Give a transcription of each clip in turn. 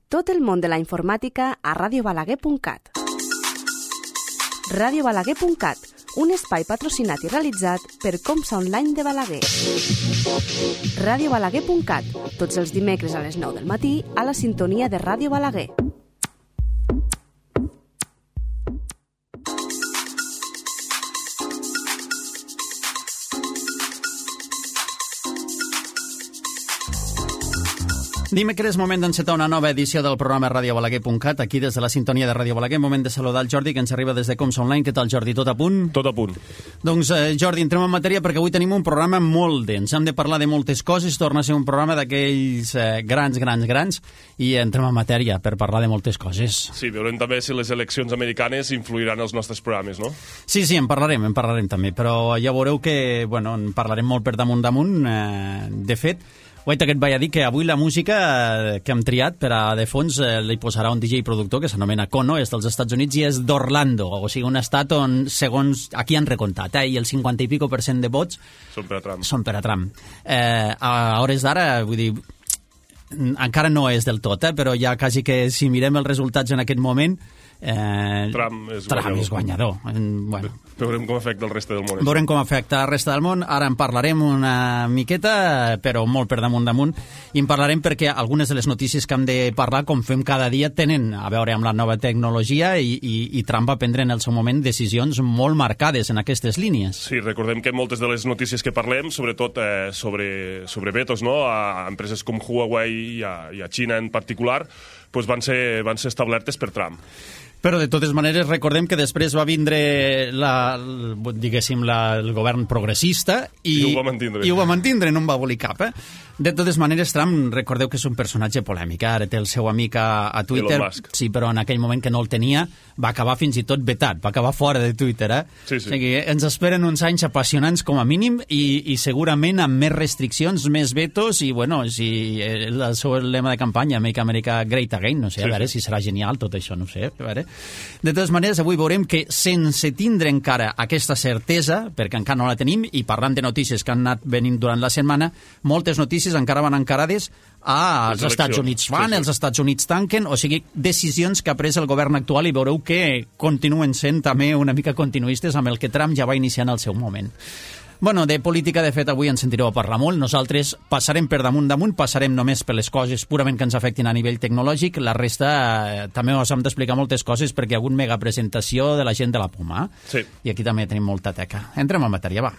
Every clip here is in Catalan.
Tot el món de la informàtica a radiobalaguer.cat. radiobalaguer.cat, un espai patrocinat i realitzat per Comsa Online de Balaguer. radiobalaguer.cat, tots els dimecres a les 9 del matí a la sintonia de Ràdio Balaguer. Dimecres, moment d'encetar una nova edició del programa radiobalaguer.cat, aquí des de la sintonia de Ràdio Balaguer. Moment de saludar el Jordi, que ens arriba des de Comsa Online. Què tal, Jordi? Tot a punt? Tot a punt. Doncs, Jordi, entrem en matèria perquè avui tenim un programa molt dens. Hem de parlar de moltes coses, torna a ser un programa d'aquells grans, i entrem en matèria per parlar de moltes coses. Sí, veurem també si les eleccions americanes influiran els nostres programes, no? Sí, en parlarem també, però ja veureu que, en parlarem molt per damunt. De fet, guaita que et vaig a dir que avui la música que hem triat per a de fons li posarà un DJ productor que s'anomena Kono, és dels Estats Units i és d'Orlando, o sigui, un estat on, segons aquí han recontat, i el 50 i pico % de vots són per a Trump. A hores d'ara, vull dir, encara no és del tot, però ja quasi que si mirem els resultats en aquest moment, Trump és guanyador. Veurem com afecta el reste del món. Veurem com afecta el reste del món. Ara en parlarem una miqueta, però molt per damunt. I en parlarem perquè algunes de les notícies que hem de parlar, com fem cada dia, tenen a veure amb la nova tecnologia i Trump va prendre en el seu moment decisions molt marcades en aquestes línies. Sí, recordem que moltes de les notícies que parlem, sobretot sobre vetos, no?, a empreses com Huawei i a Xina en particular, doncs van ser establertes per Trump. Però, de totes maneres, recordem que després va vindre el govern progressista i ho va mantindre, no en va voler cap. De totes maneres, Trump, recordeu que és un personatge polèmic. Ara té el seu amic a Twitter. Elon Musk. Sí, però en aquell moment que no el tenia va acabar fins i tot vetat, va acabar fora de Twitter. Sí. O sigui, ens esperen uns anys apassionants com a mínim i segurament amb més restriccions, més vetos i, si el seu lema de campanya, Make America Great Again, no sé, a veure si serà genial tot això, no sé, a veure. De totes maneres, avui veurem que sense tindre encara aquesta certesa, perquè encara no la tenim, i parlant de notícies que han anat venint durant la setmana, moltes notícies encara van encarades als Estats Units fan, els Estats Units tanquen, o sigui, decisions que ha pres el govern actual i veureu que continuen sent també una mica continuistes amb el que Trump ja va iniciar en el seu moment. De política, de fet, avui ens sentireu a parlar molt. Nosaltres passarem per damunt, passarem només per les coses purament que ens afectin a nivell tecnològic. La resta també us hem d'explicar moltes coses perquè hi ha hagut mega presentació de la gent de la Puma. Sí. I aquí també tenim molta teca. Entrem en matèria, va.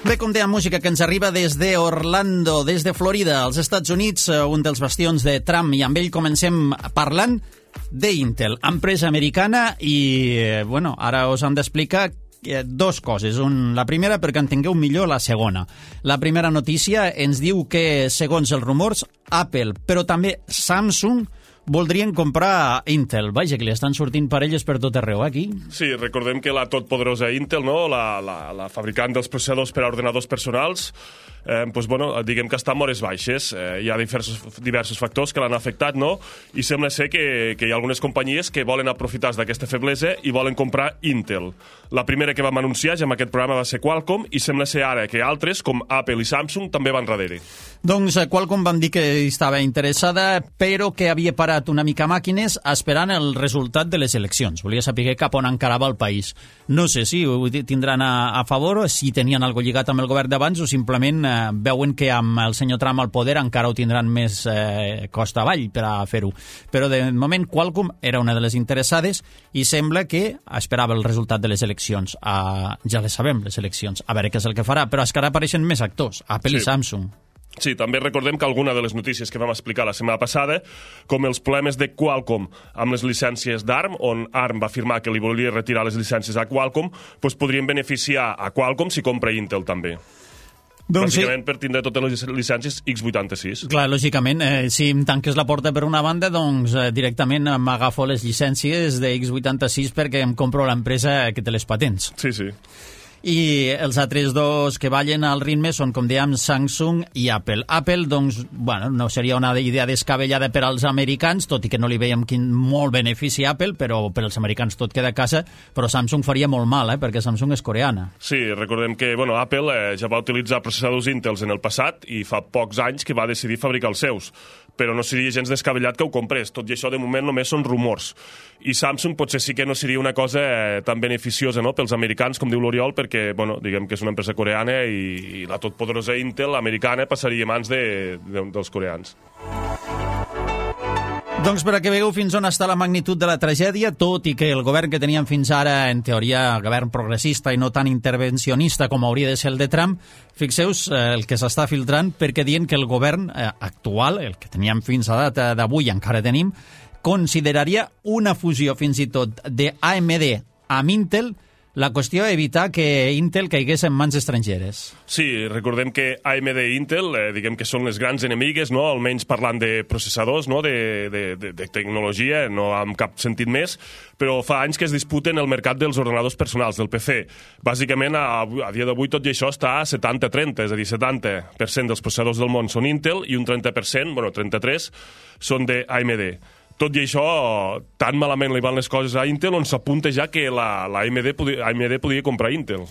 Bé, com deia, música que ens arriba des d'Orlando, des de Florida, als Estats Units, un dels bastions de Trump, i amb ell comencem parlant d'Intel, empresa americana, i, ara us hem d'explicar dos coses. La primera, perquè entengueu millor la segona. La primera notícia ens diu que, segons els rumors, Apple, però també Samsung, voldrien comprar Intel. Vaja, que li estan sortint parelles per tot arreu, aquí. Sí, recordem que la totpoderosa Intel, no?, la fabricant dels processadors per a ordenadors personals, diguem que està en hores baixes. Hi ha diversos factors que l'han afectat, no?, i sembla ser que hi ha algunes companyies que volen aprofitar d'aquesta feblesa i volen comprar Intel. La primera que vam anunciar ja en aquest programa va ser Qualcomm, i sembla ser ara que altres, com Apple i Samsung, també van darrere. Doncs Qualcomm van dir que estava interessada, però que havia parat una mica màquines esperant el resultat de les eleccions. Volia saber cap on encarava el país. No sé si ho tindran a favor, o si tenien alguna cosa lligat amb el govern d'abans, o simplement veuen que amb el senyor Trump al poder encara ho tindran més costa avall per a fer-ho. Però de moment Qualcomm era una de les interessades i sembla que esperava el resultat de les eleccions. Ja les sabem, les eleccions. A veure què és el que farà, però és que ara apareixen més actors, Apple i Samsung. Sí, també recordem que alguna de les notícies que vam explicar la setmana passada, com els problemes de Qualcomm amb les llicències d'ARM, on ARM va afirmar que li volia retirar les llicències a Qualcomm, podrien beneficiar a Qualcomm si compra Intel també. Bàsicament per tindre totes les llicències x86. Clar, lògicament, si em tanques la porta per una banda, doncs directament m'agafo les llicències de x86 perquè em compro l'empresa que té les patents. Sí. i els altres dos que ballen al ritme són, com dèiem, Samsung i Apple. Apple, doncs, bueno, no seria una idea descabellada per als americans, tot i que no li veiem quin molt benefici a Apple, però per als americans tot queda a casa, però Samsung faria molt mal, perquè Samsung és coreana. Sí, recordem que Apple ja va utilitzar processadors Intel en el passat i fa pocs anys que va decidir fabricar els seus, però no seria gens descabellat que ho comprés. Tot i això, de moment, només són rumors. I Samsung potser sí que no seria una cosa tan beneficiosa, no?, pels americans, com diu l'Oriol, perquè, diguem que és una empresa coreana i la totpoderosa Intel americana passaria a mans dels coreans. Doncs per a que veieu fins on està la magnitud de la tragèdia, tot i que el govern que teníem fins ara, en teoria, govern progressista i no tan intervencionista com hauria de ser el de Trump, fixeu-vos el que s'està filtrant, perquè diuen que el govern actual, el que teníem fins a data d'avui, encara tenim, consideraria una fusió fins i tot d'AMD amb Intel. La qüestió és evitar que Intel caigués en mans estrangeres. Sí, recordem que AMD i Intel, diguem que són les grans enemigues, no?, almenys parlant de processadors, no?, de tecnologia, no amb cap sentit més, però fa anys que es disputen el mercat dels ordenadors personals, del PC. Bàsicament, a dia d'avui tot i això està a 70-30, és a dir, 70% dels processadors del món són Intel i un 30%, 33%, són d'AMD. Tot i això, tan malament li van les coses a Intel, on s'apunta ja que AMD podia comprar Intel.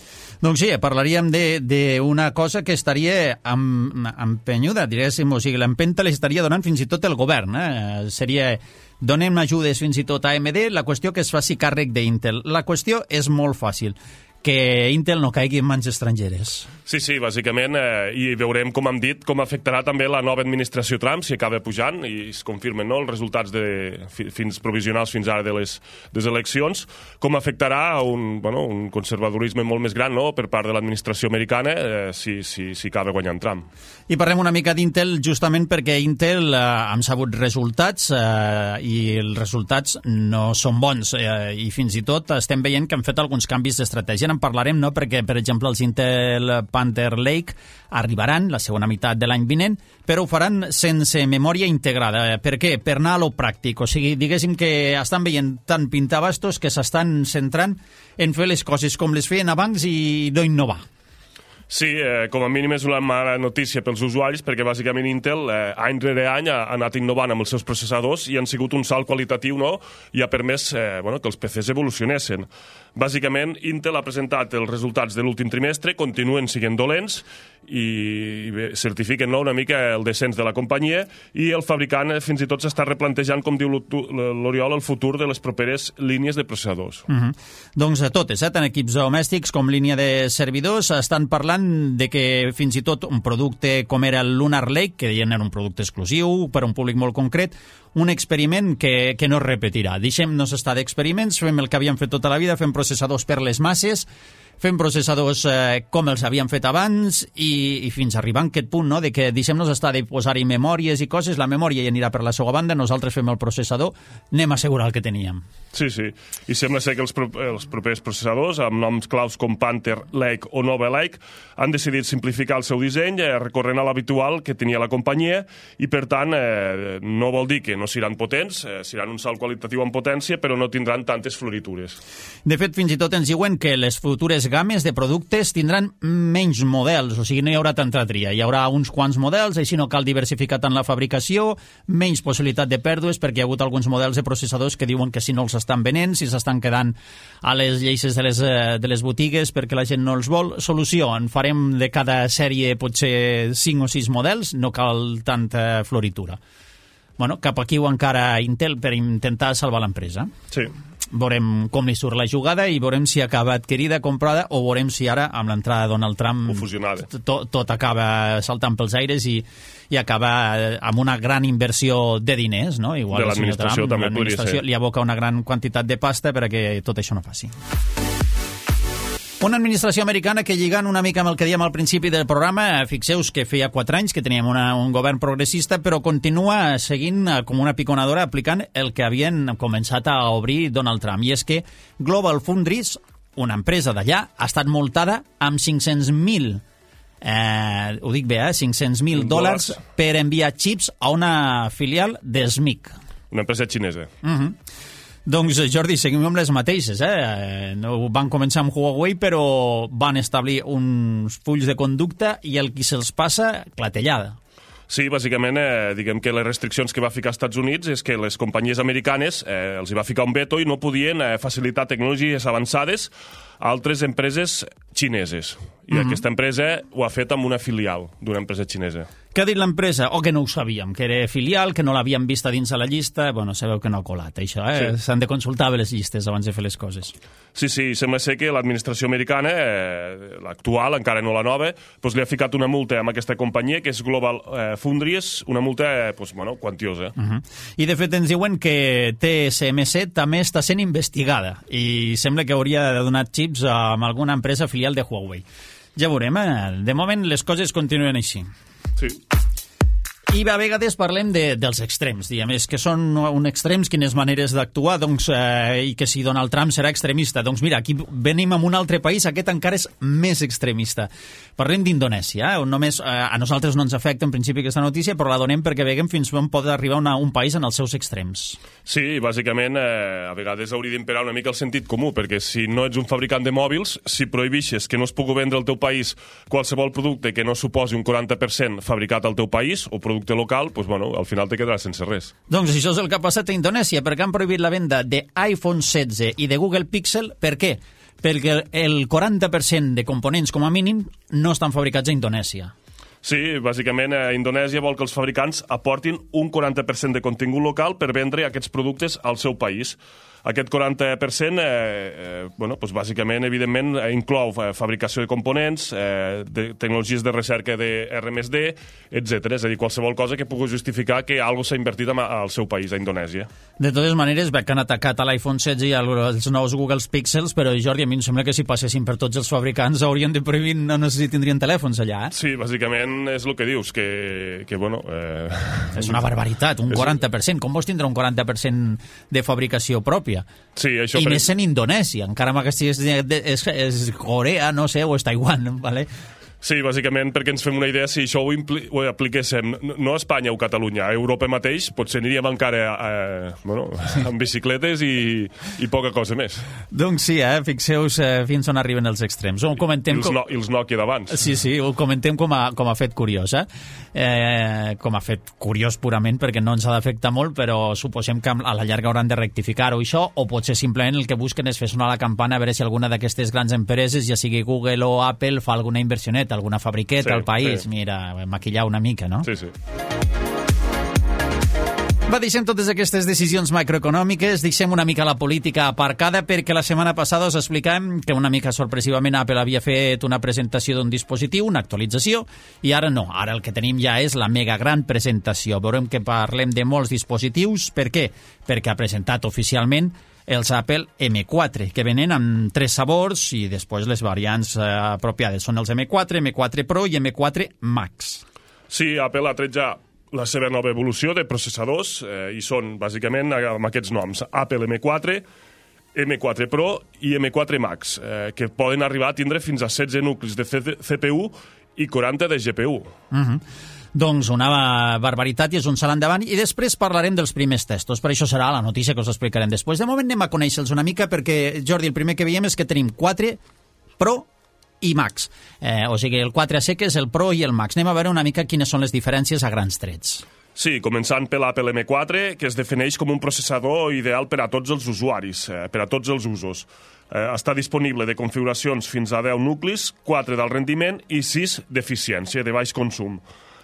Doncs sí, parlaríem d'una cosa que estaria empenyuda, diguéssim, o sigui, l'empenta l'estaria donant fins i tot el govern. Seria, donem ajudes fins i tot a AMD, la qüestió que es faci càrrec d'Intel. La qüestió és molt fàcil, que Intel no caigui en mans estrangeres. Sí, bàsicament, i veurem, com hem dit, com afectarà també la nova administració Trump, si acaba pujant, i es confirmen, no?, els resultats provisionals fins ara de les eleccions, com afectarà un conservadorisme molt més gran, no?, per part de l'administració americana, si acaba guanyant Trump. I parlem una mica d'Intel, justament perquè Intel han sabut resultats, i els resultats no són bons, i fins i tot estem veient que han fet alguns canvis d'estratègia. En parlarem, no?, perquè, per exemple, els Intel Panther Lake arribaran la segona meitat de l'any vinent, però ho faran sense memòria integrada. Per què? Per anar a lo pràctic. O sigui, diguéssim que estan veient tant pintabastos que s'estan centrant en fer les coses com les feien abans i no innovar. Sí, com a mínim és una mala notícia pels usuaris, perquè bàsicament Intel any rere any ha anat innovant amb els seus processadors i han sigut un salt qualitatiu, no?, i ha permès que els PCs evolucionessin. Bàsicament, Intel ha presentat els resultats de l'últim trimestre, continuen sent dolents i certifiquen, no?, una mica el descens de la companyia, i el fabricant fins i tot s'està replantejant, com diu l'Oriol, el futur de les properes línies de processadors. Doncs totes, tant equips domèstics com línia de servidors, estan parlant de que fins i tot un producte com era el Lunar Lake, que deien era un producte exclusiu per a un públic molt concret, un experiment que no es repetirà. Deixem-nos estar d'experiments, fem el que havíem fet tota la vida, fem processadors per les masses, fem processadors com els havíem fet abans i fins a arribar a aquest punt, no?, de que deixem-nos estar de posar-hi memòries i coses, la memòria ja anirà per la seva banda, nosaltres fem el processador, anem a assegurar el que teníem. Sí, i sembla ser que els propers processadors, amb noms claus com Panther Lake o Nova Lake, han decidit simplificar el seu disseny, recorrent a l'habitual que tenia la companyia, i per tant no vol dir que no seran potents, seran un salt qualitatiu en potència, però no tindran tantes floritures. De fet, fins i tot ens diuen que les futures games de productes tindran menys models, o sigui, no hi haurà tanta tria, hi haurà uns quants models, així no cal diversificar tant la fabricació, menys possibilitat de pèrdues, perquè hi ha hagut alguns models de processadors que diuen que si no els estan venent, si s'estan quedant a les lleixes de les botigues perquè la gent no els vol. Solució, en farem de cada sèrie potser 5 o 6 models, no cal tanta floritura. Bueno, cap aquí o encara Intel per intentar salvar l'empresa. Sí. Veurem com li surt la jugada i veurem si acaba adquirida, comprada, o veurem si ara, amb l'entrada de Donald Trump, tot acaba saltant pels aires i acaba amb una gran inversió de diners, no? Igual de l'administració també podria ser. Li aboca una gran quantitat de pasta perquè tot això no faci. Una administració americana que, lligant una mica amb el que dèiem al principi del programa, fixeu-vos que feia 4 anys que teníem un govern progressista, però continua seguint com una piconadora aplicant el que havien començat a obrir Donald Trump. I és que Global Foundries, una empresa d'allà, ha estat multada amb 500.000 ho dic bé, $500.000 per enviar xips a una filial de SMIC. Una empresa xinesa. Doncs, Jordi, seguim amb les mateixes. Van començar amb Huawei, però van establir uns fulls de conducta i el qui se'ls passa, clatellada. Sí, bàsicament, diguem que les restriccions que va ficar als Estats Units és que les companyies americanes els hi va ficar un veto i no podien facilitar tecnologies avançades a altres empreses xineses. I aquesta empresa ho ha fet amb una filial d'una empresa xinesa. Què ha dit l'empresa? O que no ho sabíem, que era filial, que no l'havíem vista dins a la llista. Bueno, sabeu que no ha colat, això, Sí. S'han de consultar bé les llistes abans de fer les coses. Sí, sembla ser que l'administració americana, l'actual, encara no la nova, doncs li ha ficat una multa amb aquesta companyia, que és Global Foundries, una multa quantiosa. I, de fet, ens diuen que TSMC també està sent investigada i sembla que hauria de donar xips amb alguna empresa filial de Huawei. Ja veurem, de moment les coses continuen així. Sí. I a vegades parlem dels extrems, diguem, és que són un extrems, quines maneres d'actuar, doncs, i que si Donald Trump serà extremista. Doncs mira, aquí venim a un altre país, aquest encara és més extremista. Parlem d'Indonèsia, on només a nosaltres no ens afecta en principi aquesta notícia, però la donem perquè veiem fins on pot arribar un país en els seus extrems. Sí, bàsicament, a vegades hauria d'imperar una mica el sentit comú, perquè si no ets un fabricant de mòbils, si prohibixes que no es pugui vendre al teu país qualsevol producte que no suposi un 40% fabricat al teu país, o producte local, doncs, al final te quedaràs sense res. Doncs això és el que ha passat a Indonèsia, perquè han prohibit la venda d'iPhone 16 i de Google Pixel. Per què? Perquè el 40% de components, com a mínim, no estan fabricats a Indonèsia. Sí, bàsicament, Indonèsia vol que els fabricants aportin un 40% de contingut local per vendre aquests productes al seu país. Aquest 40%, doncs bàsicament, evidentment, inclou fabricació de components, de tecnologies de recerca de R+D, etc. És a dir, qualsevol cosa que pugui justificar que alguna s'ha invertit al seu país, a Indonèsia. De totes maneres, veig que han atacat a l'iPhone 16 i als nous Google Pixels, però, Jordi, a mi em sembla que si passessin per tots els fabricants haurien de prohibir, no sé si tindrien telèfons allà. Sí, bàsicament és el que dius, que És una barbaritat, un 40%. Com vols tindre un 40% de fabricació pròpia? Sí, això... I més en Indonèsia, encara si és Corea, no sé, o és Taiwan, ¿vale? Sí, bàsicament perquè ens fem una idea, si això ho apliquéssim no a Espanya o Catalunya, a Europa mateix, potser aniríem encara amb bicicletes i poca cosa més. Doncs sí, fixeu-vos fins on arriben els extrems. Ho comentem I els Nokia d'abans. Sí, ho comentem com a fet curiós, com a fet curiós purament, perquè no ens ha d'afectar molt, però suposem que a la llarga hauran de rectificar-ho això, o potser simplement el que busquen és fer sonar la campana a veure si alguna d'aquestes grans empreses, ja sigui Google o Apple, fa alguna inversioneta, alguna fabriqueta al país, mira, maquillar una mica, no? Sí. Va, deixem totes aquestes decisions macroeconòmiques, deixem una mica la política aparcada, perquè la setmana passada us explicàvem que una mica sorpresivament Apple havia fet una presentació d'un dispositiu, una actualització, i ara no, ara el que tenim ja és la mega gran presentació. Veurem que parlem de molts dispositius. Per què? Perquè ha presentat oficialment els Apple M4, que venen amb 3 sabors i després les variants apropiades. Són els M4, M4 Pro i M4 Max. Sí, Apple ha tret ja la seva nova evolució de processadors i són, bàsicament, amb aquests noms. Apple M4, M4 Pro i M4 Max, que poden arribar a tindre fins a 16 nuclis de CPU i 40 de GPU. Doncs una barbaritat i és un salt endavant, i després parlarem dels primers testos, per això serà la notícia que us explicarem després. De moment anem a conèixer-los una mica perquè, Jordi, el primer que veiem és que tenim 4 Pro i Max, o sigui, el 4 a seques, el Pro i el Max. Anem a veure una mica quines són les diferències a grans trets. Sí, començant per l'Apple M4, que es defineix com un processador ideal per a tots els usuaris, per a tots els usos. Està disponible de configuracions fins a 10 nuclis, 4 d'alt rendiment i 6 d'eficiència, de baix consum.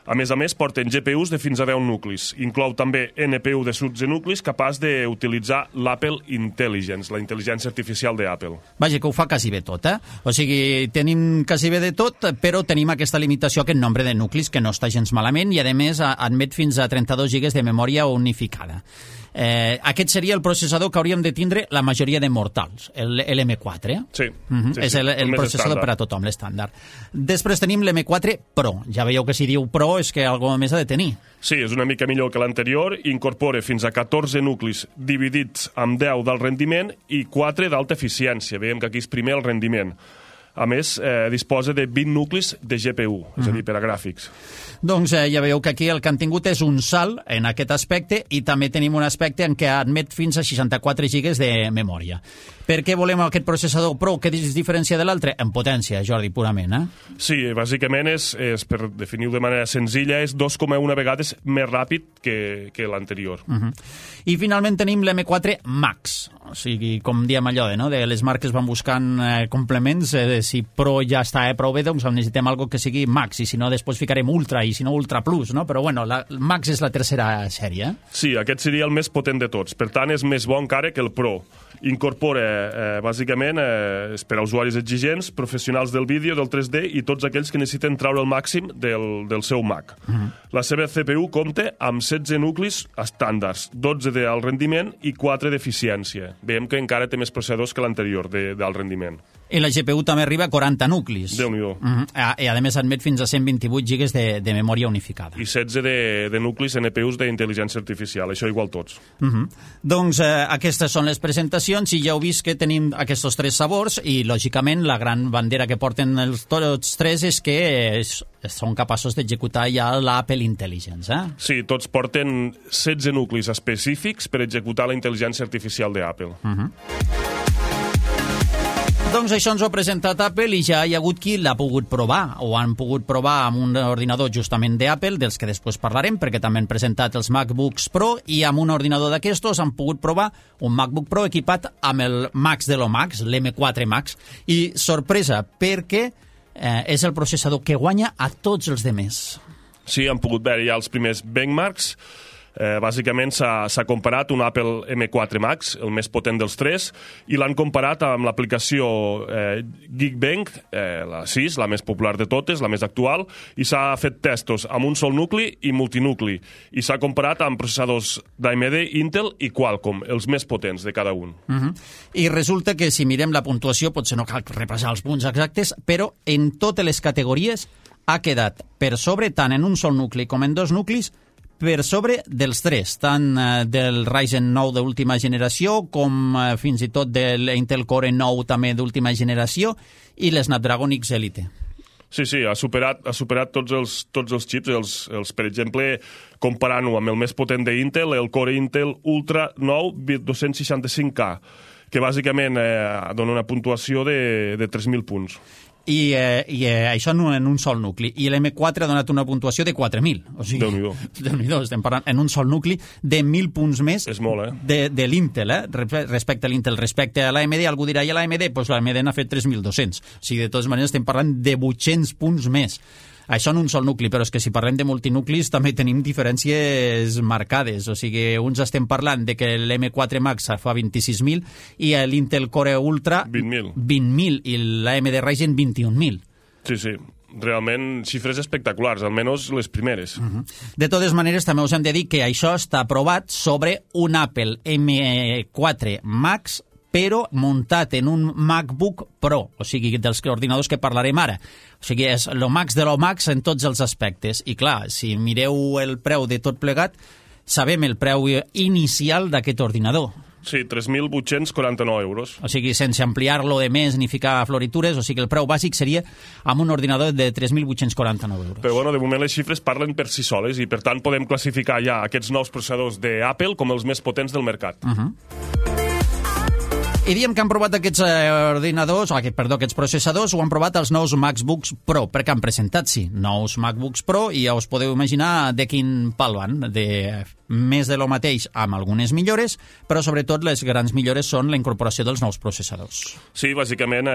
A més, porten GPUs de fins a 10 nuclis. Inclou també NPU de 16 nuclis capaç d'utilitzar l'Apple Intelligence, la intel·ligència artificial d'Apple. Vaja, que ho fa quasi bé tot, O sigui, tenim quasi bé de tot, però tenim aquesta limitació, aquest nombre de nuclis, que no està gens malament, i a més admet fins a 32 GB de memòria unificada. Aquest seria el processador que hauríem de tindre la majoria de mortals, l'M4. Sí. És el processador per a tothom, l'estàndard. Després tenim l'M4 Pro. Ja veieu que si diu Pro és que alguna més ha de tenir. Sí, és una mica millor que l'anterior, incorpora fins a 14 nuclis dividits amb 10 d'alt rendiment i 4 d'alta eficiència. Veiem que aquí és primer el rendiment. A més, disposa de 20 nuclis de GPU, és a dir, per a gràfics. Doncs ja veieu que aquí el que han tingut és un salt en aquest aspecte i també tenim un aspecte en què admet fins a 64 gigas de memòria. Per què volem aquest processador Pro? Què es diferencia de l'altre? En potència, Jordi, purament, eh? Sí, bàsicament és per definir-ho de manera senzilla, és 2,1 vegades més ràpid que l'anterior. I finalment tenim l'M4 Max. O sigui, com diem allò, de les marques van buscant complements, si Pro ja està prou bé, doncs necessitem algo que sigui Max, i si no, després ficarem Ultra, i si no, Ultra Plus, no? Però bueno, Max és la tercera sèrie. Sí, aquest seria el més potent de tots. Per tant, és més bo encara que el Pro. Incorpora, bàsicament, és per a usuaris exigents, professionals del vídeo, del 3D i tots aquells que necessiten treure el màxim del seu Mac. La seva CPU compta amb 16 nuclis estàndards, 12 d'alt rendiment i 4 d'eficiència. Veiem que encara té més processadors que l'anterior d'alt rendiment. I la GPU també arriba a 40 nuclis. Déu-n'hi-do. I a més admet fins a 128 gigas de memòria unificada. I 16 de nuclis NPUs d'intel·ligència artificial, això igual tots. Doncs aquestes són les presentacions i ja heu vist que tenim aquests tres sabors i, lògicament, la gran bandera que porten tots tres és que són capaços d'executar ja l'Apple Intelligence. Sí, tots porten 16 nuclis específics per executar la intel·ligència artificial d'Apple. Doncs això ens ho ha presentat Apple i ja hi ha hagut qui l'ha pogut provar, o han pogut provar amb un ordinador justament d'Apple, dels que després parlarem, perquè també han presentat els MacBooks Pro, i amb un ordinador d'aquestos han pogut provar un MacBook Pro equipat amb el Max de lo Max, l'M4 Max, i sorpresa, perquè és el processador que guanya a tots els demés. Sí, han pogut veure ja els primers benchmarks. Bàsicament s'ha comparat un Apple M4 Max, el més potent dels tres, i l'han comparat amb l'aplicació Geekbench, la 6, la més popular de totes, la més actual, i s'ha fet testos amb un sol nucli i multinucli, i s'ha comparat amb processadors d'AMD, Intel i Qualcomm, els més potents de cada un. I resulta que si mirem la puntuació, potser no cal repassar els punts exactes, però en totes les categories ha quedat per sobre, tant en un sol nucli com en dos nuclis, per sobre dels tres, tant del Ryzen 9 d'última generació com fins i tot de l'Intel Core 9 també d'última generació i l'Snapdragon X Elite. Sí, ha superat tots els xips, per exemple, comparant-ho amb el més potent d'Intel, el Core Intel Ultra 9 265K, que bàsicament dona una puntuació de 3.000 punts. I això en un sol nucli. I l'M4 ha donat una puntuació de 4.000. O sigui, Déu-n'hi-do, estem parlant en un sol nucli de 1.000 punts més. És molt, de l'Intel, respecte a l'Intel. Respecte a l'AMD, algú dirà, i a l'AMD? Doncs l'AMD n'ha fet 3.200. O sigui, de totes maneres, estem parlant de 800 punts més. Això en un sol nucli, però és que si parlem de multinuclis també tenim diferències marcades. O sigui, uns estem parlant de que l'M4 Max fa 26.000 i l'Intel Core Ultra 20.000 i l'AMD Ryzen 21.000. Sí. Realment xifres espectaculars, almenys les primeres. De totes maneres, també us hem de dir que això està aprovat sobre un Apple M4 Max, però muntat en un MacBook Pro, o sigui, dels ordinadors que parlarem ara. O sigui, és lo Max de lo Max en tots els aspectes. I clar, si mireu el preu de tot plegat, sabem el preu inicial d'aquest ordinador. Sí, 3.849 euros. O sigui, sense ampliar-lo de més ni ficar floritures, o sigui, el preu bàsic seria amb un ordinador de 3.849 euros. Però, bueno, de moment les xifres parlen per si soles i, per tant, podem classificar ja aquests nous processadors d'Apple com els més potents del mercat. I diem que han provat aquests aquests processadors, ho han provat els nous MacBooks Pro, perquè han presentat, sí, nous MacBooks Pro, i ja us podeu imaginar de quin pal van, de més de lo mateix amb algunes millores, però sobretot les grans millores són la incorporació dels nous processadors. Sí, bàsicament,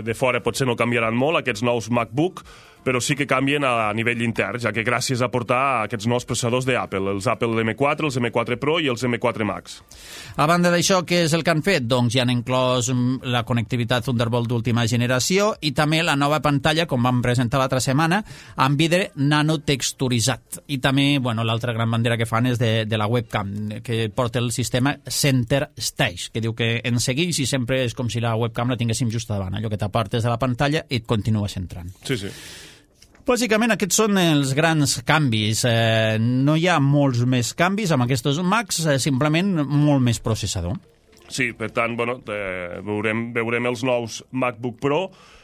de fora potser no canviaran molt aquests nous MacBook, però sí que canvien a nivell intern, ja que gràcies a portar aquests nous processadors d'Apple, els Apple M4, els M4 Pro i els M4 Max. A banda d'això, què és el que han fet? Doncs ja han inclòs la connectivitat Thunderbolt d'última generació i també la nova pantalla, com vam presentar l'altra setmana, amb vidre nanotexturitzat. I també, bueno, l'altra gran bandera que fan és de la webcam, que porta el sistema Center Stage, que diu que ens segueix i sempre és com si la webcam la tinguéssim just davant, allò que t'apartes de la pantalla i et continues entrant. Sí. Bàsicament, aquests són els grans canvis. No hi ha molts més canvis amb aquests Macs, simplement molt més processador. Sí, per tant, bueno, veurem els nous MacBook Pro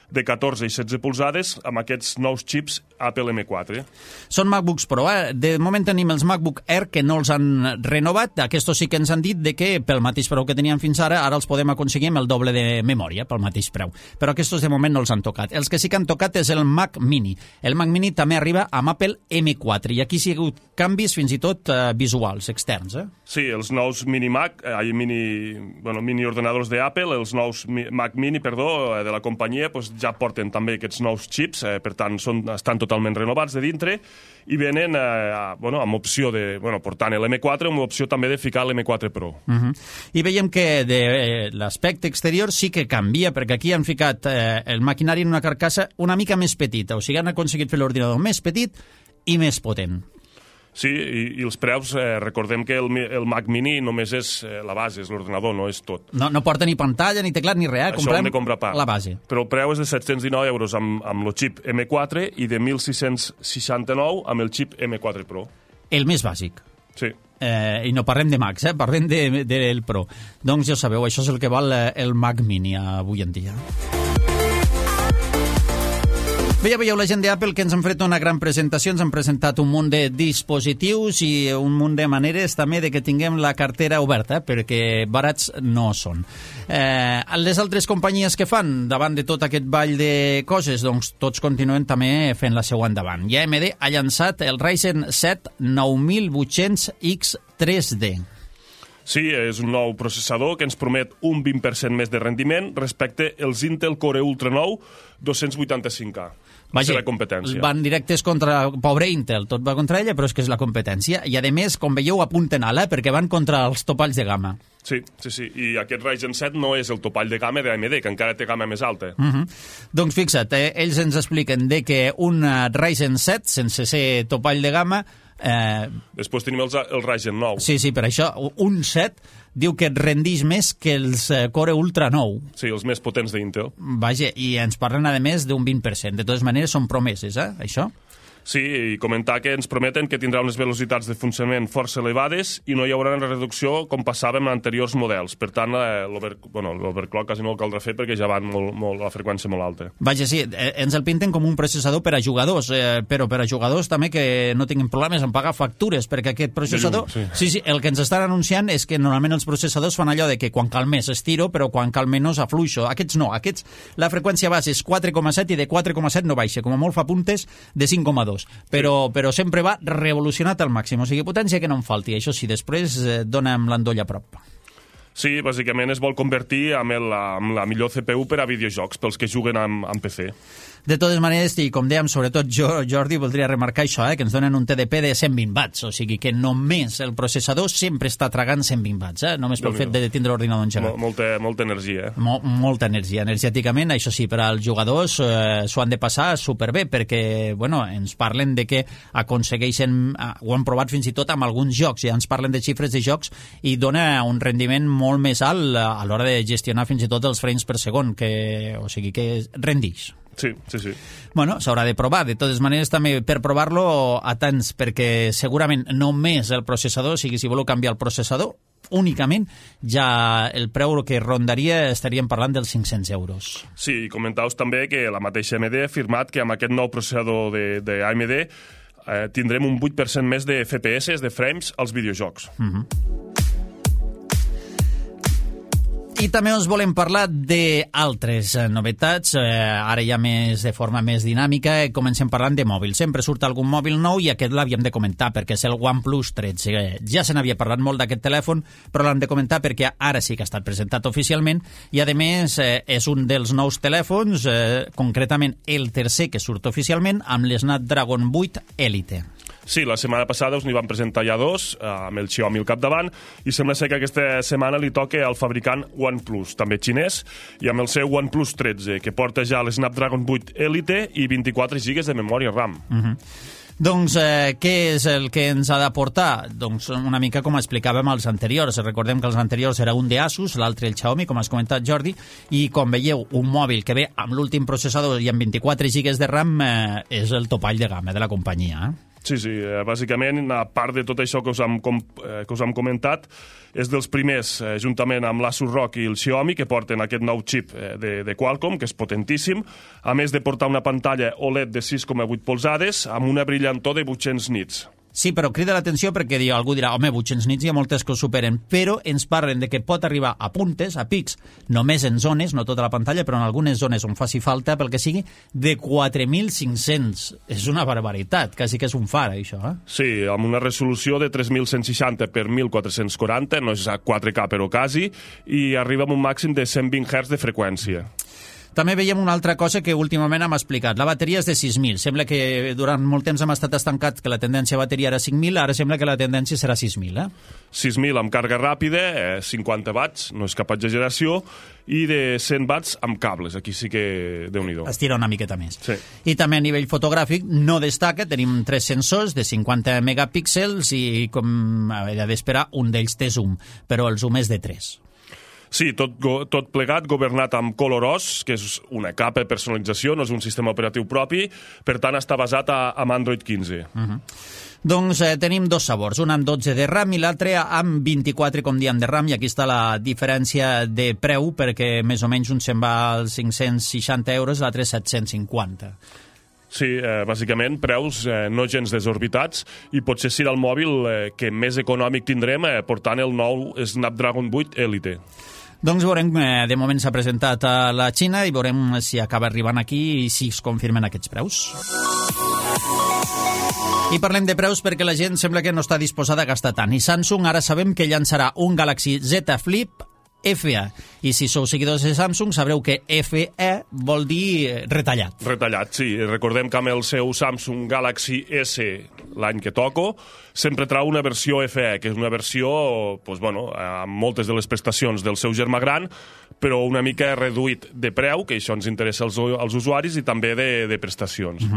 de 14 i 16 polzades amb aquests nous xips Apple M4. Són MacBooks Pro, De moment tenim els MacBook Air que no els han renovat. Aquests sí que ens han dit de que pel mateix preu que teníem fins ara els podem aconseguir amb el doble de memòria, pel mateix preu. Però aquests de moment no els han tocat. Els que sí que han tocat és el Mac Mini. El Mac Mini també arriba amb Apple M4 i aquí sí ha hagut canvis fins i tot visuals, externs. Sí, els nous mini ordenadors d'Apple, els nous Mac Mini, de la companyia, ja porten també aquests nous xips, per tant, estan totalment renovats de dintre i venen amb opció de, portant l'M4, amb opció també de ficar l'M4 Pro. I veiem que de l'aspecte exterior sí que canvia, perquè aquí han ficat el maquinari en una carcassa una mica més petita, o sigui, han aconseguit fer l'ordinador més petit i més potent. Sí, i els preus, recordem que el Mac Mini només és la base, és l'ordenador, no és tot. No porta ni pantalla, ni teclat, ni res. Això hem de comprar part. La base. Però el preu és de 719 euros amb el xip M4 i de 1.669 amb el xip M4 Pro. El més bàsic. Sí. I no parlem de Macs, parlem del Pro. Doncs ja sabeu, això és el que val el Mac Mini avui en dia. Bé, ja veieu la gent d'Apple que ens han fet una gran presentació, ens han presentat un munt de dispositius i un munt de maneres també de que tinguem la cartera oberta, perquè barats no són. Les altres companyies que fan davant de tot aquest ball de coses, doncs tots continuen també fent la seva endavant. I AMD ha llançat el Ryzen 7 9800X 3D. Sí, és un nou processador que ens promet un 20% més de rendiment respecte als Intel Core Ultra 9 285K. Vaja, la competència. Van directes contra pobre Intel, tot va contra ella, però és que és la competència. I a més, com veieu, apunten ala, perquè van contra els topalls de gamma. Sí. I aquest Ryzen 7 no és el topall de gamma d'AMD, que encara té gamma més alta. Doncs fixa't, ells ens expliquen de que un Ryzen 7, sense ser topall de gamma, després tenim el Ryzen 9. Sí, per això, un 7 diu que et rendix més que els Core Ultra 9. Sí, els més potents d'Intel. Vaja, i ens parlen, a més, d'un 20%. De totes maneres, són promeses, això? Sí, i comentar que ens prometen que tindrà unes velocitats de funcionament força elevades i no hi haurà una reducció com passava amb anteriors models. Per tant, l'overclock quasi no el caldrà fer perquè ja van la freqüència molt alta. Vaja, sí, ens el pinten com un processador per a jugadors, però per a jugadors també que no tinguin problemes en pagar factures, perquè aquest processador... Sí, el que ens estan anunciant és que normalment els processadors fan allò de que quan cal més estiro, però quan cal menys afluixo. Aquests no, la freqüència base és 4,7 i de 4,7 no baixa, com a molt fa puntes de 5,2. Però sempre va revolucionat al màxim, o sigui, potència que no en falti. Això sí, després dona'm l'endoll a prop. Sí, bàsicament es vol convertir en la millor CPU per a videojocs, pels que juguen amb PC. De totes maneres, i com dèiem, sobretot jo, Jordi, voldria remarcar això, que ens donen un TDP de 120 watts, o sigui que només el processador sempre està tragant 120 watts, només pel fet de tindre l'ordinador engegat. Molta energia, Molta energia. Energèticament, això sí, per als jugadors s'ho han de passar superbé, perquè, ens parlen de que aconsegueixen, ho han provat fins i tot amb alguns jocs, ja ens parlen de xifres de jocs, i dona un rendiment molt més alt a l'hora de gestionar fins i tot els frames per segon, o sigui que rendix. Sí. S'haurà de provar. De totes maneres, també per provar-lo, atents, perquè segurament només el processador, o sigui, si voleu canviar el processador, únicament, ja el preu que rondaria estaríem parlant dels 500 euros. Sí, i comentau també que la mateixa AMD ha afirmat que amb aquest nou processador d'AMD tindrem un 8% més de FPS, de frames, als videojocs. I també us volem parlar d'altres novetats, ara ja de forma més dinàmica. Comencem parlant de mòbil. Sempre surt algun mòbil nou i aquest l'havíem de comentar perquè és el OnePlus 13. Ja se n'havia parlat molt d'aquest telèfon, però l'hem de comentar perquè ara sí que ha estat presentat oficialment i, a més, és un dels nous telèfons, concretament el tercer que surt oficialment, amb l'Snapdragon 8 Elite. Sí, la setmana passada us n'hi van presentar ja dos, amb el Xiaomi al capdavant, i sembla ser que aquesta setmana li toca al fabricant OnePlus, també xinès, i amb el seu OnePlus 13, que porta ja l'Snapdragon 8 Elite i 24 GB de memòria RAM. Doncs què és el que ens ha d'aportar? Doncs una mica com explicàvem als anteriors. Recordem que els anteriors era un d'Asus, l'altre el Xiaomi, com has comentat, Jordi, i com veieu, un mòbil que ve amb l'últim processador i amb 24 GB de RAM és el topall de gamma de la companyia. Sí, bàsicament, a part de tot això que us hem comentat, és dels primers, juntament amb l'Asus ROG i el Xiaomi, que porten aquest nou xip de Qualcomm, que és potentíssim, a més de portar una pantalla OLED de 6,8 polzades amb una brillantor de 800 nits. Sí, però crida l'atenció perquè algú dirà, home, 800 nits hi ha moltes que ho superen, però ens parlen de que pot arribar a puntes, a pics, només en zones, no tota la pantalla, però en algunes zones on faci falta, pel que sigui, de 4.500. És una barbaritat, quasi que és un far, això, eh? Sí, amb una resolució de 3.160 per 1.440, no és a 4K però quasi, i arriba amb un màxim de 120 Hz de freqüència. També veiem una altra cosa que últimament hem explicat. La bateria és de 6.000. Sembla que durant molt temps hem estat estancats que la tendència a bateria era 5.000, ara sembla que la tendència serà 6.000, eh? 6.000 amb càrrega ràpida, 50 watts, no és cap exageració, i de 100 watts amb cables. Aquí sí que Déu-n'hi-do. Estira una miqueta més. Sí. I també a nivell fotogràfic no destaca, tenim 3 sensors de 50 megapíxels i, com havia d'esperar, un d'ells té zoom, però el zoom és de 3. Sí, tot plegat, governat amb ColorOS, que és una capa de personalització, no és un sistema operatiu propi, per tant està basat amb Android 15. Doncs tenim dos sabors, un amb 12 de RAM i l'altre amb 24, com diem, de RAM, i aquí està la diferència de preu, perquè més o menys un se'n va als 560 euros, l'altre 750. Sí, bàsicament, preus no gens desorbitats, i potser serà el mòbil que més econòmic tindrem portant el nou Snapdragon 8 Elite. Doncs veurem, de moment s'ha presentat a la Xina i veurem si acaba arribant aquí i si es confirmen aquests preus. I parlem de preus perquè la gent sembla que no està disposada a gastar tant. I Samsung ara sabem que llançarà un Galaxy Z Flip FE. I si sou seguidors de Samsung sabreu que FE vol dir retallat. Retallat, sí. Recordem que amb el seu Samsung Galaxy S, l'any que toco, sempre trau una versió FE, que és una versió, doncs, bueno, amb moltes de les prestacions del seu germà gran, però una mica reduït de preu, que això ens interessa als usuaris, i també de prestacions.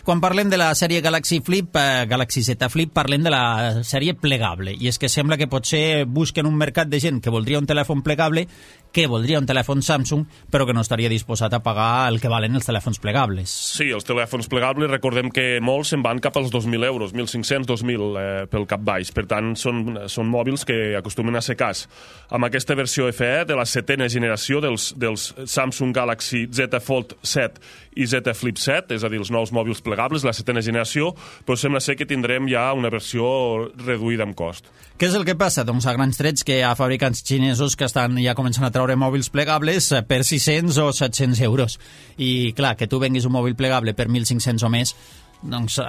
Quan parlem de la sèrie Galaxy Flip, Galaxy Z Flip, parlem de la sèrie plegable, i és que sembla que potser busquen un mercat de gent que voldria un telèfon plegable, que voldria un telèfon Samsung, però que no estaria disposat a pagar el que valen els telèfons plegables. Sí, els telèfons plegables, recordem que molts se'n van cap als 2.000 euros, 1.500, 2.000 pel cap baix. Per tant, són mòbils que acostumen a ser cas. Amb aquesta versió FE de la 7ª generació dels Samsung Galaxy Z Fold 7 i Z Flip 7, és a dir, els nous mòbils plegables, la 7ª generació, però sembla ser que tindrem ja una versió reduïda en cost. Què és el que passa? Doncs a grans trets que hi ha fabricants xinesos que estan ja començant a treure mòbils plegables per 600 o 700 euros. I clar, que tu venguis un mòbil plegable per 1.500 o més, doncs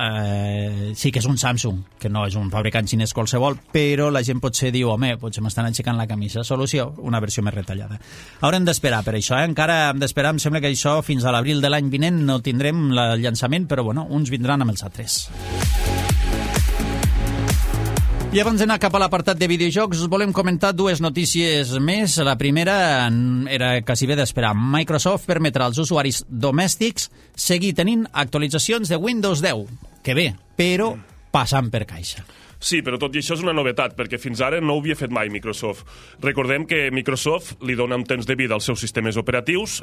sí que és un Samsung, que no és un fabricant xinès qualsevol, però la gent potser diu, home, potser m'estan aixecant la camisa. Solució, una versió més retallada. Haurem d'esperar per això, encara hem d'esperar, em sembla que això fins a l'abril de l'any vinent no tindrem el llançament, però bueno, uns vindran amb els altres. I abans d'anar cap a l'apartat de videojocs, us volem comentar dues notícies més. La primera era quasi bé d'esperar. Microsoft permetrà als usuaris domèstics seguir tenint actualitzacions de Windows 10. Que bé, però passant per caixa. Sí, però tot i això és una novetat, perquè fins ara no ho havia fet mai Microsoft. Recordem que Microsoft li dona un temps de vida als seus sistemes operatius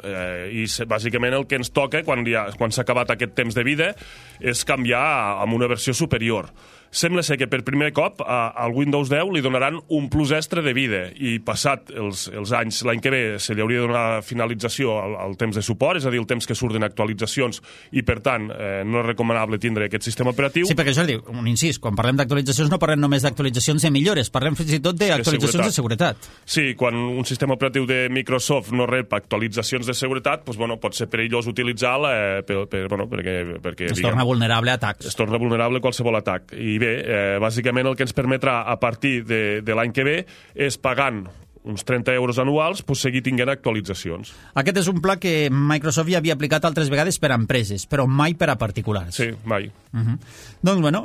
i bàsicament el que ens toca quan s'ha acabat aquest temps de vida és canviar amb una versió superior. Sembla ser que per primer cop al Windows 10 li donaran un plus extra de vida i passat els anys, l'any que ve se li hauria de donar finalització al temps de suport, és a dir, el temps que surten actualitzacions i per tant no és recomanable tindre aquest sistema operatiu. Sí, perquè això diu, un incís, quan parlem d'actualitzacions no parlem només d'actualitzacions de millores, parlem fins i tot d'actualitzacions de seguretat. Sí, quan un sistema operatiu de Microsoft no rep actualitzacions de seguretat, doncs, bueno, pot ser perillós utilitzar-la perquè es torna vulnerable a atacs. Es torna vulnerable a qualsevol atac. I bé, bàsicament el que ens permetrà a partir de l'any que ve és pagant uns 30 euros anuals, pues seguir tinguent actualitzacions. Aquest és un pla que Microsoft ja havia aplicat altres vegades per a empreses, però mai per a particulars. Sí, mai. Doncs, bueno,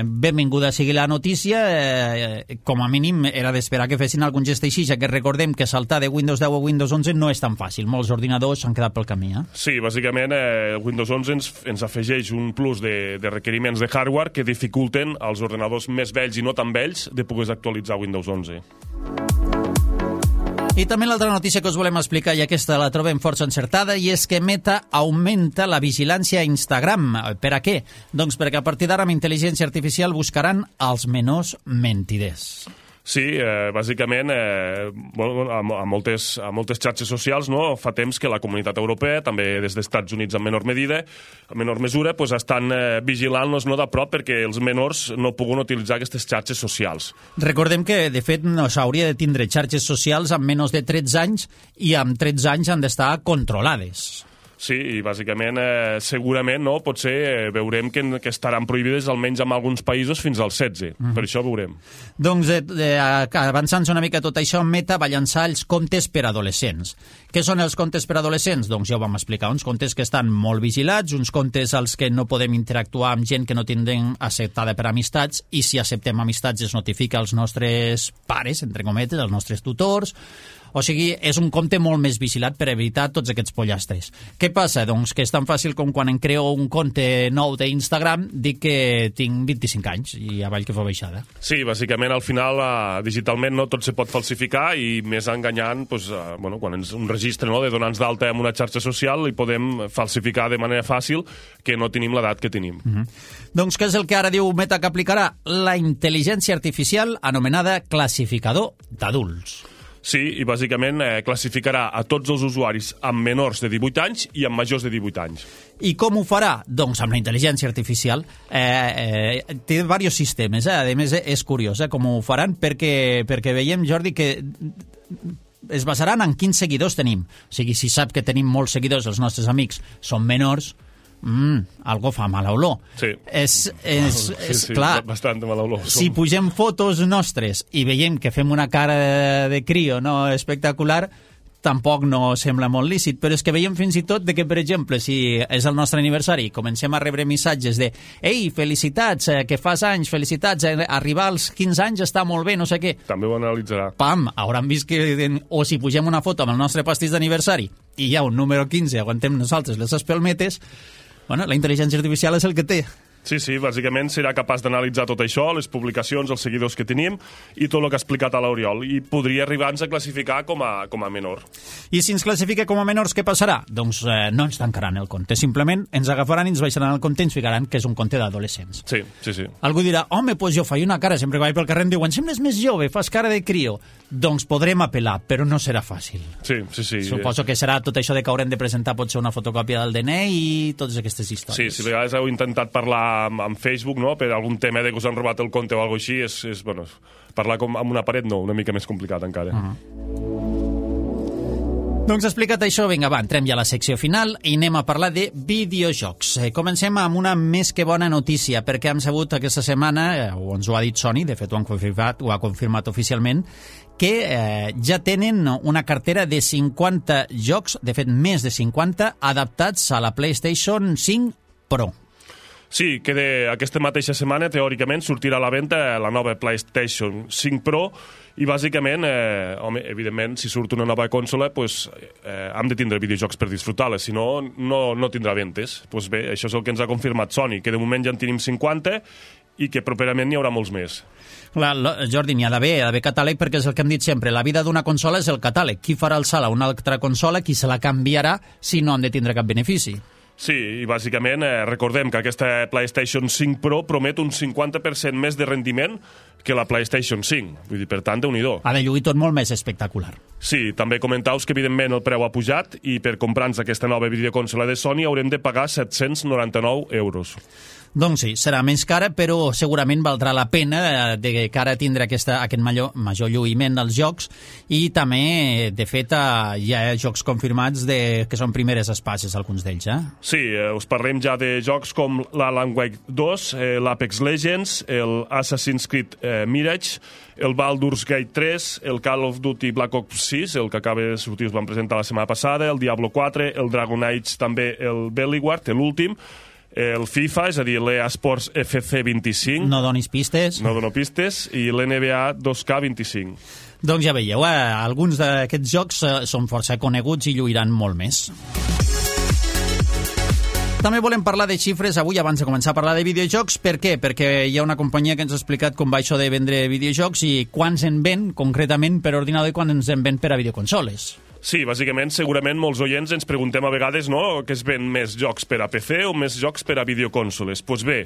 benvinguda sigui la notícia. Com a mínim era d'esperar que fessin algun gest així, ja que recordem que saltar de Windows 10 a Windows 11 no és tan fàcil. Molts ordinadors s'han quedat pel camí. Sí, bàsicament Windows 11 ens afegeix un plus de requeriments de hardware que dificulten als ordinadors més vells i no tan vells de poder actualitzar Windows 11. I també l'altra notícia que us volem explicar, i aquesta la trobem força encertada, i és que Meta augmenta la vigilància a Instagram. Per a què? Doncs perquè a partir d'ara amb intel·ligència artificial buscaran els menors mentiders. Sí, bàsicament, a moltes xarxes socials, no, fa temps que la Comunitat Europea, també des dels Estats Units en menor mesura, pues, estan vigilant-nos de prop perquè els menors no puguin utilitzar aquestes xarxes socials. Recordem que, de fet, no s'hauria de tindre xarxes socials amb menys de 13 anys i amb 13 anys han d'estar controlades. Sí, i bàsicament, segurament, no, potser veurem que estaran prohibides almenys en alguns països fins als 16. Per això veurem. Doncs, avançant una mica tot això, Meta va llançar els comptes per adolescents. Què són els comptes per adolescents? Doncs ja ho vam explicar, uns comptes que estan molt vigilats, uns comptes als que no podem interactuar amb gent que no tindrem acceptada per amistats, i si acceptem amistats es notifica als nostres pares, entre cometes, als nostres tutors. O sigui, és un compte molt més vigilat per evitar tots aquests pollastres. Què passa? Doncs que és tan fàcil com quan em creo un compte nou d'Instagram, dic que tinc 25 anys i avall que fa baixada. Sí, bàsicament, al final, digitalment no tot se pot falsificar i més enganyant, doncs, quan és un registre, no, de donar-nos d'alta en una xarxa social i podem falsificar de manera fàcil que no tenim l'edat que tenim. Doncs què és el que ara diu Meta que aplicarà? La intel·ligència artificial anomenada classificador d'adults. Sí, i bàsicament classificarà a tots els usuaris amb menors de 18 anys i amb majors de 18 anys. I com ho farà? Doncs amb la intel·ligència artificial. Té diversos sistemes, A més, és curiós com ho faran, perquè veiem, Jordi, que es basaran en quins seguidors tenim. O sigui, si sap que tenim molts seguidors, els nostres amics són menors, algo fa mala olor. Sí. És clar, bastant mala olor. Si pugem fotos nostres i veiem que fem una cara de crio, no, espectacular, tampoc no sembla molt lícit, però és que veiem fins i tot de que, per exemple, si és el nostre aniversari, comencem a rebre missatges de «Ei, felicitats, que fas anys, felicitats, arribar als 15 anys està molt bé, no sé què». També ho analitzarà. Pam, hauran vist que... O si pugem una foto amb el nostre pastís d'aniversari i hi ha un número 15, aguantem nosaltres les espelmetes, bueno, la intel·ligència artificial és el que té. Sí, bàsicament serà capaç d'analitzar tot això, les publicacions, els seguidors que tenim i tot el que ha explicat a l'Oriol, i podria arribar-nos a classificar com a menor. I si ens classifica com a menors, què passarà? Doncs no ens tancaran el compte, simplement ens agafaran i ens baixaran el compte i ens ficaran que és un compte d'adolescents. Sí. Algú dirà, home, doncs jo faig una cara, sempre que vaig pel carrer em diuen, sembles més jove, fas cara de crio. Doncs podrem apel·lar, però no serà fàcil. Sí. Suposo que serà tot això de que haurem de presentar potser una fotocòpia del DNI i totes aquestes històries. Sí, si a vegades heu intentat parlar amb Facebook, no?, per algun tema de que us han robat el compte o alguna cosa així, és parlar com amb una paret, no, una mica més complicat encara. Doncs explicat això, vinga, va, entrem ja a la secció final i anem a parlar de videojocs. Comencem amb una més que bona notícia, perquè hem sabut aquesta setmana, o ens ho ha dit Sony, de fet ho ha confirmat oficialment, que ja tenen una cartera de 50 jocs, de fet més de 50, adaptats a la PlayStation 5 Pro. Sí, que aquesta mateixa setmana, teòricament, sortirà a la venda la nova PlayStation 5 Pro i, bàsicament, evidentment, si surt una nova consola, hem de tindre videojocs per disfrutar-la, si no, no tindrà ventes. Doncs bé, això és el que ens ha confirmat Sony, que de moment ja en tenim 50 i que properament n'hi haurà molts més. Clar, Jordi, n'hi ha d'haver catàleg, perquè és el que hem dit sempre, la vida d'una consola és el catàleg. Qui farà el salt a una altra consola, qui se la canviarà si no han de tindre cap benefici? Sí, i bàsicament recordem que aquesta PlayStation 5 Pro promet un 50% més de rendiment que la PlayStation 5. Vull dir, per tant, Déu-n'hi-do. Ha de lluir tot molt més espectacular. Sí, també comentaus que, evidentment, el preu ha pujat i per comprar-nos aquesta nova videoconsola de Sony haurem de pagar 799 euros. Doncs sí, serà més cara, però segurament valdrà la pena de cara a tindre aquest major lluïment dels jocs, i també, de fet, hi ha jocs confirmats que són primeres espases, alguns d'ells, Sí, us parlem ja de jocs com l'Alan Wake 2, l'Apex Legends, l'Assassin's Creed Mirage, el Baldur's Gate 3, el Call of Duty Black Ops 6, el que acaba de sortir, us vam presentar la setmana passada, el Diablo 4, el Dragon Age, també el Belleguard, l'últim, el FIFA, és a dir, l'EA Sports FC 25. No donis pistes. No dono pistes. I l'NBA 2K25. Doncs ja veieu, alguns d'aquests jocs són força coneguts i lluiran molt més. També volem parlar de xifres avui abans de començar a parlar de videojocs. Per què? Perquè hi ha una companyia que ens ha explicat com va això de vendre videojocs i quants en ven concretament per ordinador i quants en ven per a videoconsoles. Sí, bàsicament, segurament molts oients ens preguntem a vegades, no?, que es ven més jocs per a PC o més jocs per a videoconsoles. Doncs bé,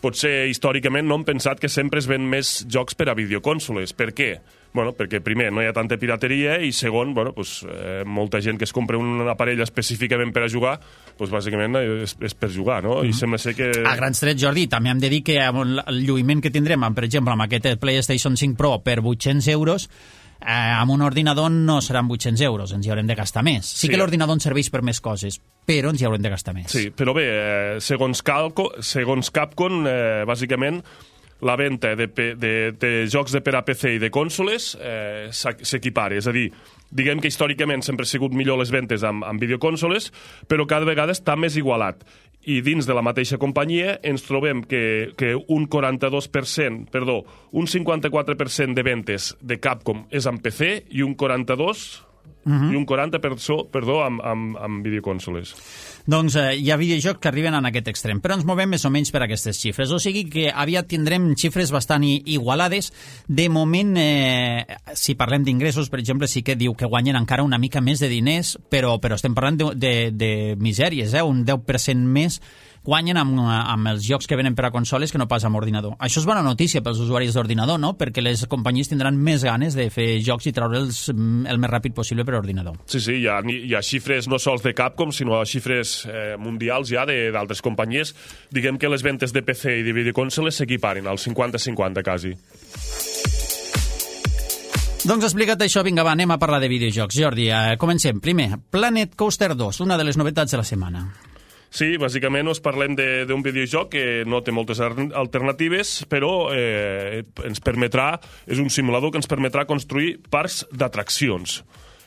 potser històricament no hem pensat que sempre es ven més jocs per a videoconsoles. Per què? Bueno, perquè primer no hi ha tanta pirateria i segon, bueno, pues, molta gent que es compra un aparell específicament per a jugar, pues, bàsicament és per jugar, no? I sembla ser que... A grans trets, Jordi, també hem de dir que el lluïment que tindrem, per exemple, amb aquest PlayStation 5 Pro per 800 euros, amb un ordinador no seran 800 euros, ens hi haurem de gastar més. Sí que l'ordinador ens serveix per més coses, però ens hi haurem de gastar més. Sí, però bé, segons Capcom, bàsicament, la venda de jocs de per a PC i de consoles s'equipara. És a dir, diguem que històricament sempre ha sigut millor les ventes amb videoconsoles, però cada vegada està més igualat. I dins de la mateixa companyia ens trobem que un 54% de ventes de Capcom és amb PC i un 42% i un 40% amb videoconsoles. Doncs hi ha videojocs que arriben en aquest extrem, però ens movem més o menys per aquestes xifres. O sigui que aviat tindrem xifres bastant igualades. De moment, si parlem d'ingressos, per exemple, sí que diu que guanyen encara una mica més de diners, però estem parlant de misèries, un 10% més guanyen amb els jocs que venen per a consoles que no pas amb ordinador. Això és bona notícia pels usuaris d'ordinador, no? Perquè les companyies tindran més ganes de fer jocs i treure'ls el més ràpid possible per ordinador. Sí, hi ha xifres no sols de Capcom, sinó xifres mundials ja d'altres companyies. Diguem que les ventes de PC i de videoconsoles s'equiparen al 50-50 quasi. Doncs explica't això, vinga, va, anem a parlar de videojocs. Jordi, comencem. Primer, Planet Coaster 2, una de les novetats de la setmana. Sí, bàsicament us parlem d'un videojoc que no té moltes alternatives, però ens permetrà, és un simulador que ens permetrà construir parcs d'atraccions.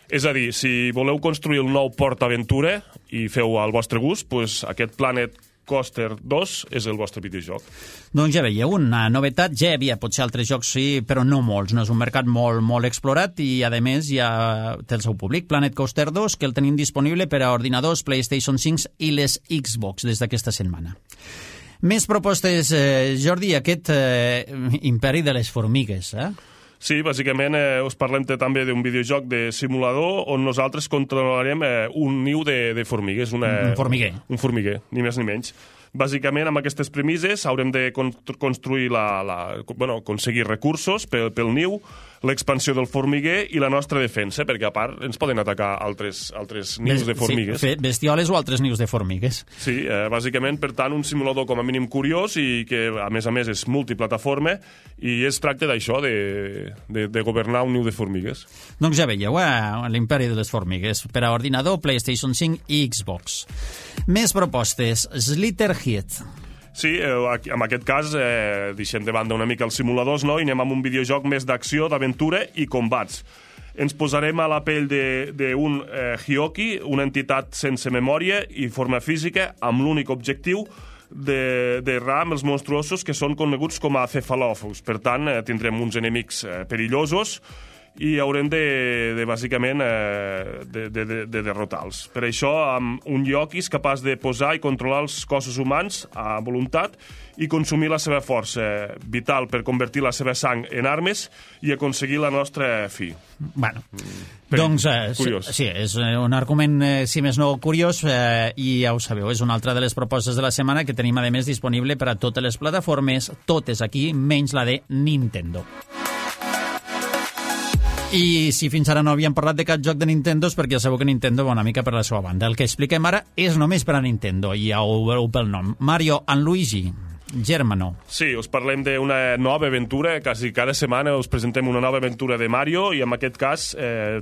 És a dir, si voleu construir el nou Port Aventura i feu al vostre gust, doncs aquest Planet Coaster 2 és el vostre videojoc. Doncs ja veieu, una novetat, ja hi havia potser altres jocs, sí, però no molts. No és un mercat molt explorat i, a més, ja té el seu públic. Planet Coaster 2, que el tenim disponible per a ordinadors, PlayStation 5 i les Xbox des d'aquesta setmana. Més propostes, Jordi, aquest imperi de les formigues, Sí, bàsicament us parlem també d'un videojoc de simulador on nosaltres controlarem un niu de formigues. Un formiguer. Un formiguer, ni més ni menys. Bàsicament, amb aquestes premisses, haurem de construir aconseguir recursos pel niu, l'expansió del formiguer i la nostra defensa, perquè a part ens poden atacar altres nius de formigues. Sí, bestioles o altres nius de formigues. Sí, bàsicament, per tant, un simulador com a mínim curiós i que, a més, és multiplataforma i es tracta d'això, de governar un niu de formigues. Doncs ja veieu, l'imperi de les formigues per a ordinador, PlayStation 5 i Xbox. Més propostes. Slitherhead. Sí, en aquest cas deixem de banda una mica els simuladors, no? I anem amb un videojoc més d'acció, d'aventura i combats. Ens posarem a la pell d'un Hyoki, una entitat sense memòria i forma física, amb l'únic objectiu d'errar amb els monstruosos que són coneguts com a cefalòfons. Per tant, tindrem uns enemics perillosos i haurem bàsicament de derrotar-los. Per això, amb un Hyoki és capaç de posar i controlar els cossos humans a voluntat i consumir la seva força vital per convertir la seva sang en armes i aconseguir la nostra fi. Bueno, doncs sí, és un argument, si més no, curiós, i ja ho sabeu, és una altra de les propostes de la setmana que tenim, a més, disponible per a totes les plataformes, totes aquí, menys la de Nintendo. I si fins ara no havíem parlat de cap joc de Nintendo és perquè ja sabeu que Nintendo va una mica per la seva banda. El que expliquem ara és només per a Nintendo, i ja ho veureu pel nom. Mario and Luigi, Germano. Sí, us parlem d'una nova aventura, quasi cada setmana us presentem una nova aventura de Mario, i en aquest cas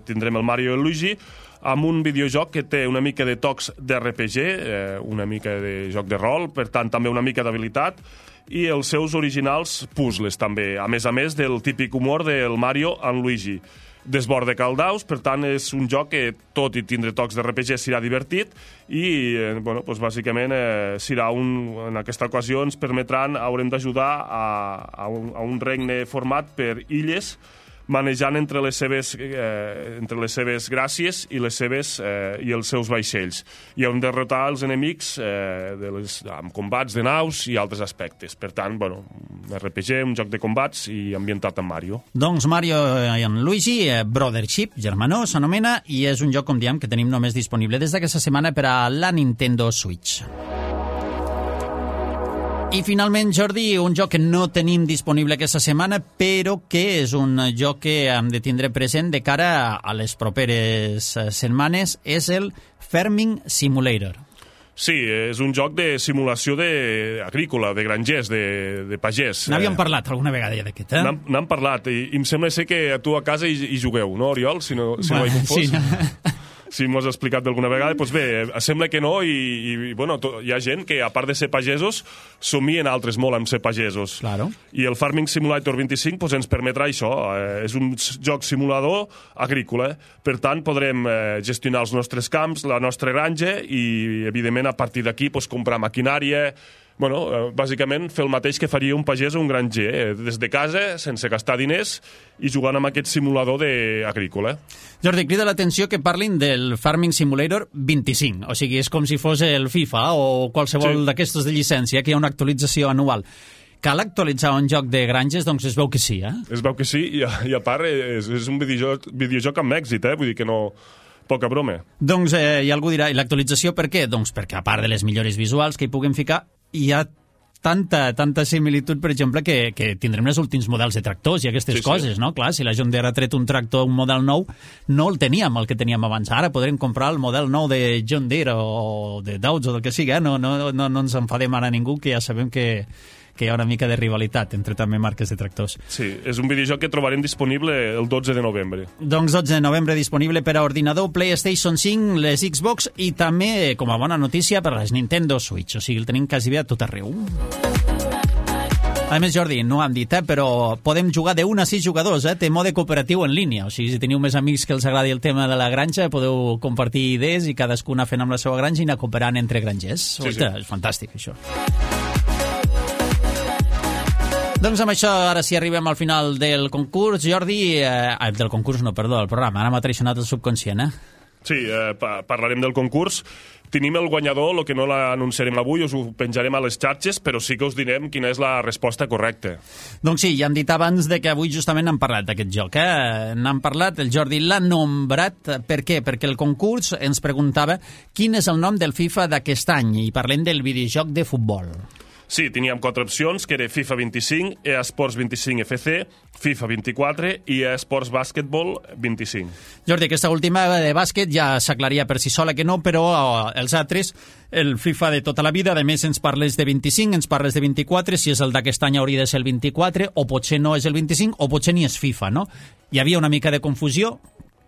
tindrem el Mario and Luigi amb un videojoc que té una mica de tocs d'RPG, una mica de joc de rol, per tant també una mica d'habilitat, i els seus originals puzzles també, a més del típic humor del Mario and Luigi. Desborda caldaus, per tant és un joc que, tot i tindre tocs d'RPG, serà divertit i, bàsicament, en aquesta ocasió ens permetran, haurem d'ajudar a un regne format per illes manejant entre les seves gràcies i els seus vaixells. I on derrotar els enemics amb combats de naus i altres aspectes. Per tant, bueno, RPG, un joc de combats i ambientat en Mario. Doncs Mario and Luigi, Brothership, germanor, s'anomena, i és un joc, com diem, que tenim només disponible des d'aquesta setmana per a la Nintendo Switch. I finalment, Jordi, un joc que no tenim disponible aquesta setmana, però que és un joc que hem de tindre present de cara a les properes setmanes, és el Farming Simulator. Sí, és un joc de simulació agrícola, de grangers, de pagès. N'havíem parlat alguna vegada ja d'aquest, eh? N'hem parlat, i em sembla ser que tu a casa hi jugueu, no, Oriol? Si no he confós. Sí. Si m'ho has explicat d'alguna vegada, doncs bé, sembla que no, i bueno, hi ha gent que, a part de ser pagesos, somien altres molt amb ser pagesos. Claro. I el Farming Simulator 25 doncs, ens permetrà això. És un joc simulador agrícola. Per tant, podrem gestionar els nostres camps, la nostra granja, i, evidentment, a partir d'aquí doncs, comprar maquinària. Bueno, bàsicament fer el mateix que faria un pagès o un granger, des de casa, sense gastar diners, i jugant amb aquest simulador agrícola. Jordi, crida l'atenció que parlin del Farming Simulator 25, o sigui, és com si fos el FIFA o qualsevol d'aquestos de llicència, que hi ha una actualització anual. Cal actualitzar un joc de granges? Doncs es veu que sí, eh? Es veu que sí, i a part és un videojoc amb èxit, vull dir que no... Poca broma. Doncs i algú dirà, i l'actualització per què? Doncs perquè a part de les millores visuals que hi puguem ficar, hi ha tanta similitud, per exemple, que tindrem els últims models de tractors i aquestes coses, no? Clar, si la John Deere ha tret un tractor, un model nou, no el teníem, el que teníem abans. Ara podrem comprar el model nou de John Deere o de Dodge o del que sigui, eh? No ens enfadem ara ningú, que ja sabem que hi ha una mica de rivalitat entre també marques de tractors. Sí, és un videojoc que trobarem disponible el 12 de novembre. Doncs 12 de novembre disponible per a ordinador, PlayStation 5, les Xbox i també, com a bona notícia, per a les Nintendo Switch. O sigui, el tenim quasi bé a tot arreu. A més, Jordi, no hem dit, però podem jugar de 1 a 6 jugadors, té mode cooperatiu en línia. O sigui, si teniu més amics que els agradi el tema de la granja, podeu compartir idees i cadascuna fent amb la seva granja i anar cooperant entre grangers. Sí. És fantàstic, això. Doncs amb això, ara sí arribem al final del concurs, Jordi... del concurs, no, perdó, del programa. Ara m'ha traicionat el subconscient, Sí, parlarem del concurs. Tenim el guanyador, el que no l'anunciarem avui, us ho penjarem a les xarxes, però sí que us direm quina és la resposta correcta. Doncs sí, ja hem dit abans que avui justament n'hem parlat d'aquest joc. N'hem parlat, el Jordi l'ha nombrat. Per què? Perquè el concurs ens preguntava quin és el nom del FIFA d'aquest any, i parlem del videojoc de futbol. Sí, teníem 4 opcions, que era FIFA 25, eSports 25 FC, FIFA 24 i eSports Basketball 25. Jordi, aquesta última de bàsquet ja s'aclaria per si sola que no, però els altres, el FIFA de tota la vida, a més ens parles de 25, ens parles de 24, si és el d'aquest any hauria de ser el 24, o potser no és el 25, o potser ni és FIFA, no? Hi havia una mica de confusió.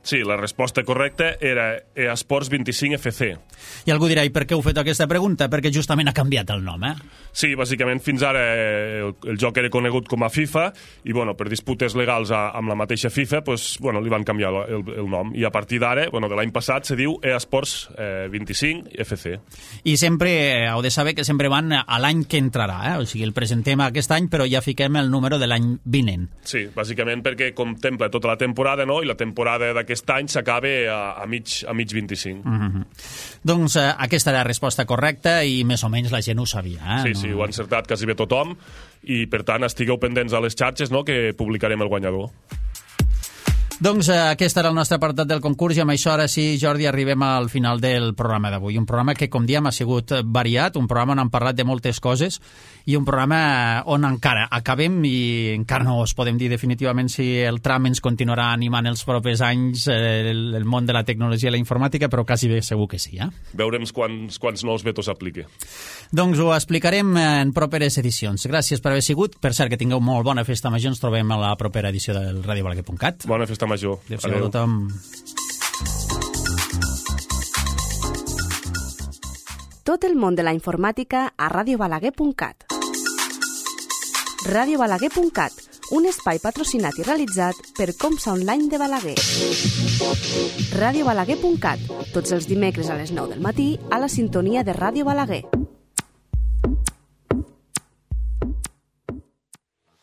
Sí, la resposta correcta era eSports 25 FC. I algú dirà, i per què heu fet aquesta pregunta? Perquè justament ha canviat el nom, Sí, bàsicament fins ara el joc era conegut com a FIFA i, bueno, per disputes legals amb la mateixa FIFA, pues, bueno, li van canviar el nom. I a partir d'ara, bueno, de l'any passat, se diu eSports 25 FC. I sempre heu de saber que sempre van a l'any que entrarà, O sigui, el presentem aquest any, però ja fiquem el número de l'any vinent. Sí, bàsicament perquè contempla tota la temporada, no? I la temporada d'aquest any s'acaba a mig 25. Doncs aquesta era la resposta correcta i més o menys la gent ho sabia. Sí, ho ha encertat quasi bé tothom i per tant estigueu pendents a les xarxes, no?, que publicarem el guanyador. Doncs aquest era el nostre apartat del concurs i amb això ara sí, Jordi, arribem al final del programa d'avui. Un programa que, com diem, ha sigut variat, un programa on hem parlat de moltes coses i un programa on encara acabem i encara no us podem dir definitivament si el tram ens continuarà animant els propers anys el món de la tecnologia i la informàtica, però quasi bé segur que sí. Veurem quants nous vetos aplica. Doncs ho explicarem en properes edicions. Gràcies per haver sigut. Per cert, que tingueu molt bona festa major. Ens trobem a la propera edició del radiobalaguer.cat. Bona festa major. Adéu a tothom. Tot el món de la informàtica a radiobalaguer.cat. radiobalaguer.cat, un espai patrocinat i realitzat per Comsa Online de Balaguer. radiobalaguer.cat, tots els dimecres a les 9 del matí a la sintonia de Ràdio Balaguer.